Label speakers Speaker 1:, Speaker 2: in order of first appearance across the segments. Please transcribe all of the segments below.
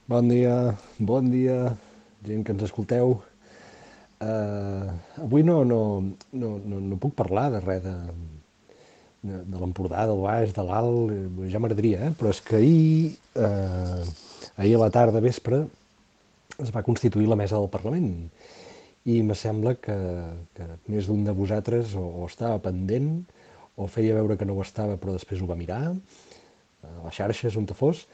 Speaker 1: Bon dia, gent que ens escolteu. Avui no puc parlar de res de l'Empordà, del Baix, de l'Alt, ja m'agradaria, però és que ahir a la tarda, vespre, es va constituir la mesa del Parlament i me sembla que més d'un de vosaltres o estava pendent o feia veure que no ho estava però després ho va mirar a les xarxes on te fos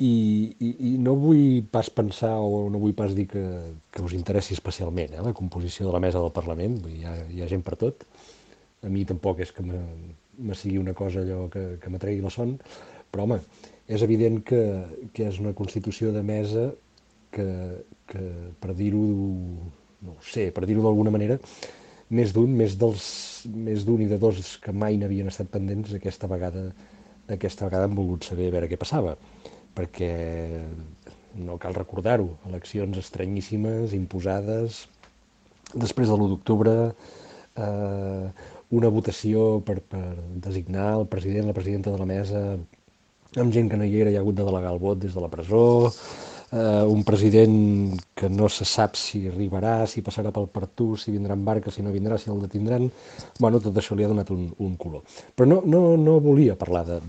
Speaker 1: i no vull pas pensar o no vull pas dir que us interessi especialment la composició de la mesa del Parlament. Vull dir, hi ha gent per tot. A mi tampoc és que me sigui una cosa allò que m'atregui la son, però home, és evident que és una constitució de mesa que, que per dir-ho, no ho sé, per dir-ho d'alguna manera, més d'un i de dos que mai n'havien estat pendents aquesta vegada han volgut saber a veure què passava, perquè no cal recordar-ho, eleccions estranyíssimes, imposades, després de l'1 d'octubre, una votació per designar el president, la presidenta de la mesa, amb gent que no hi era, hi ha hagut de delegar el vot des de la presó, un president que no se sap si arribarà, si passarà pel Pertús, si vindrà en barca, si no vindrà, si el detindran. Bueno, tot això li ha donat un color. Però no volia parlar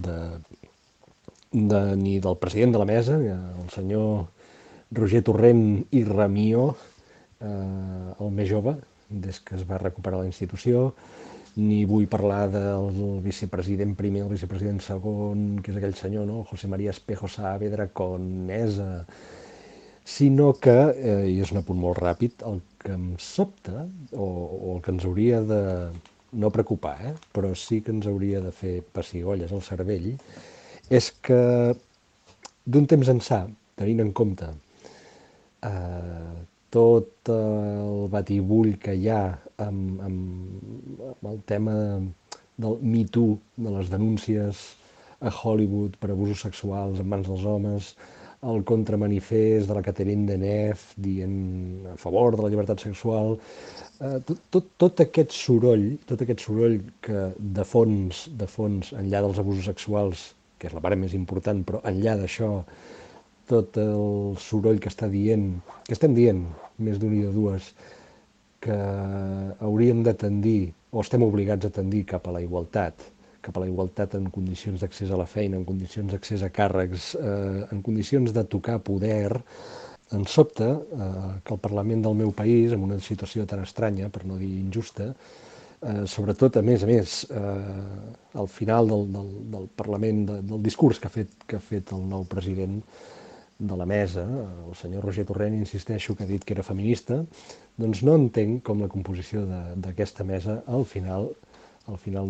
Speaker 1: ni del president de la mesa, el senyor Roger Torrent i Ramió, el més jove, des que es va recuperar la institució, ni vull parlar del vicepresident primer, el vicepresident segon, que és aquell senyor, no? José María Espejo Saavedra Conesa, sinó que, i és un apunt molt ràpid, el que em sobta, o el que ens hauria de no preocupar, però sí que ens hauria de fer pessigolles al cervell, és que d'un temps ençà, tenint en compte tot el batibull que hi ha amb el tema del Me Too, de les denúncies a Hollywood per abusos sexuals en mans dels homes, el contramanifest de la Catherine Deneuve dient a favor de la llibertat sexual, tot aquest soroll que de fons, enllà dels abusos sexuals, que és la part més important, però enllà d'això, tot el soroll que està dient, que estem dient, més d'un i de dues, que hauríem de tendir, o estem obligats a tendir cap a la igualtat en condicions d'accés a la feina, en condicions d'accés a càrrecs, en condicions de tocar poder, em sobta que el Parlament del meu país, en una situació tan estranya, per no dir injusta, sobretot, a més, al final del Parlament, del discurs que ha fet el nou president de la mesa, el senyor Roger Torrent, insisteixo, que ha dit que era feminista, doncs no entenc com la composició d'aquesta mesa, al final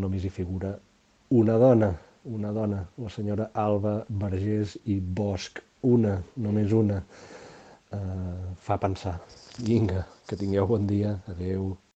Speaker 1: només hi figura una dona, la senyora Alba Vergés i Bosch, només una, fa pensar. Vinga, que tingueu bon dia, adeu.